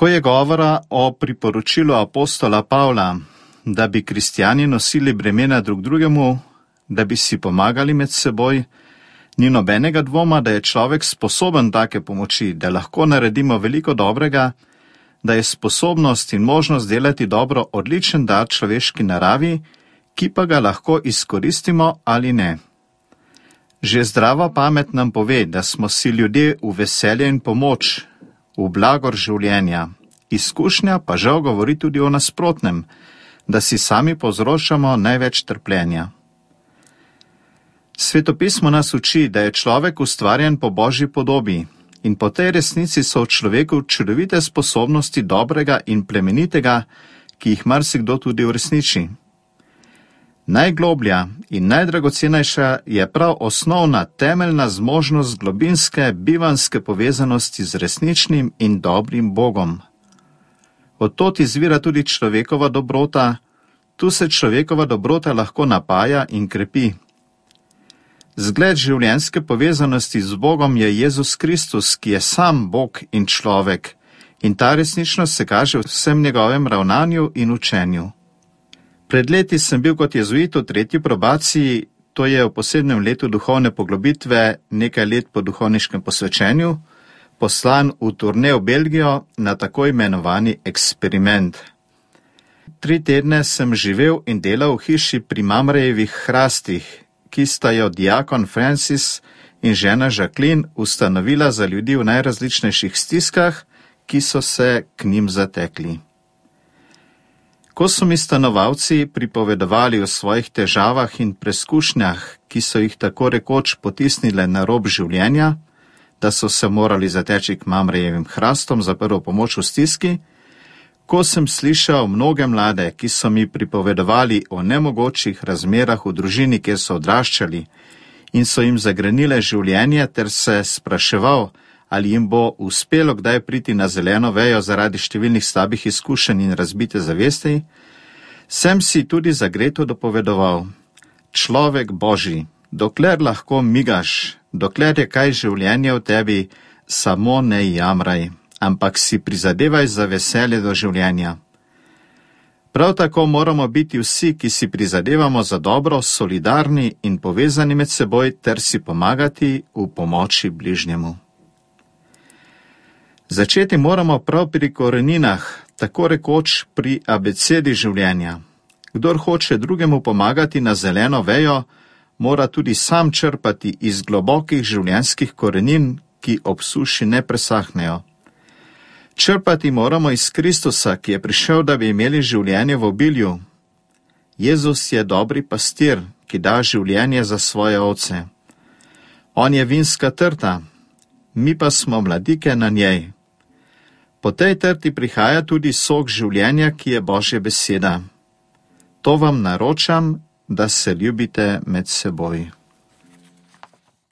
Ko je govora o priporočilu apostola Pavla, da bi kristjani nosili bremena drug drugemu, da bi si pomagali med seboj, ni nobenega dvoma, da je človek sposoben take pomoči, da lahko naredimo veliko dobrega, da je sposobnost in možnost delati dobro odličen dar človeški naravi, ki pa ga lahko izkoristimo ali ne. Že zdrava pamet nam pove, da smo si ljudje v veselje in pomoč, v blagor življenja. Izkušnja pa žal govori tudi o nasprotnem, da si sami povzročamo največ trpljenja. Svetopismo nas uči, da je človek ustvarjen po Božji podobi in po tej resnici so v človeku čudovite sposobnosti dobrega in plemenitega, ki jih marsikdo tudi uresniči. Najgloblja in najdragocenejša je prav osnovna temeljna zmožnost globinske bivanske povezanosti z resničnim in dobrim Bogom. Od tod izvira tudi človekova dobrota, tu se človekova dobrota lahko napaja in krepi. Zgled življenjske povezanosti z Bogom je Jezus Kristus, ki je sam Bog in človek, in ta resničnost se kaže v vsem njegovem ravnanju in učenju. Pred leti sem bil kot jezuit v 3. probaciji, to je v posebnem letu duhovne poglobitve, nekaj let po duhovniškem posvečenju, poslan v turne v Belgijo na tako imenovani eksperiment. 3 tedne sem živel in delal v hiši pri Mamrejevih hrastih, ki sta jo diakon Francis in žena Jacqueline ustanovila za ljudi v najrazličnejših stiskah, ki so se k njim zatekli. Ko so mi stanovalci pripovedovali o svojih težavah in preskušnjah, ki so jih tako rekoč potisnile na rob življenja, da so se morali zateči k Mamrejevim hrastom za prvo pomoč v stiski, ko sem slišal mnoge mlade, ki so mi pripovedovali o nemogočih razmerah v družini, kjer so odraščali in so jim zagrenile življenje, ter se spraševal, ali jim bo uspelo kdaj priti na zeleno vejo zaradi številnih slabih izkušenj in razbite zavesti, sem si tudi zagreto dopovedoval: človek Božji, dokler lahko migaš, dokler je kaj življenje v tebi, samo ne jamraj, ampak si prizadevaj za veselje do življenja. Prav tako moramo biti vsi, ki si prizadevamo za dobro, solidarni in povezani med seboj ter si pomagati v pomoči bližnjemu. Začeti moramo prav pri koreninah, tako rekoč pri abecedi življenja. Kdor hoče drugemu pomagati na zeleno vejo, mora tudi sam črpati iz globokih življenjskih korenin, ki ob suši ne presahnejo. Črpati moramo iz Kristusa, ki je prišel, da bi imeli življenje v obilju. Jezus je dobri pastir, ki da življenje za svoje ovce. On je vinska trta, mi pa smo mladike na njej. Po tej trti prihaja tudi sok življenja, ki je Božja beseda. To vam naročam, da se ljubite med seboj.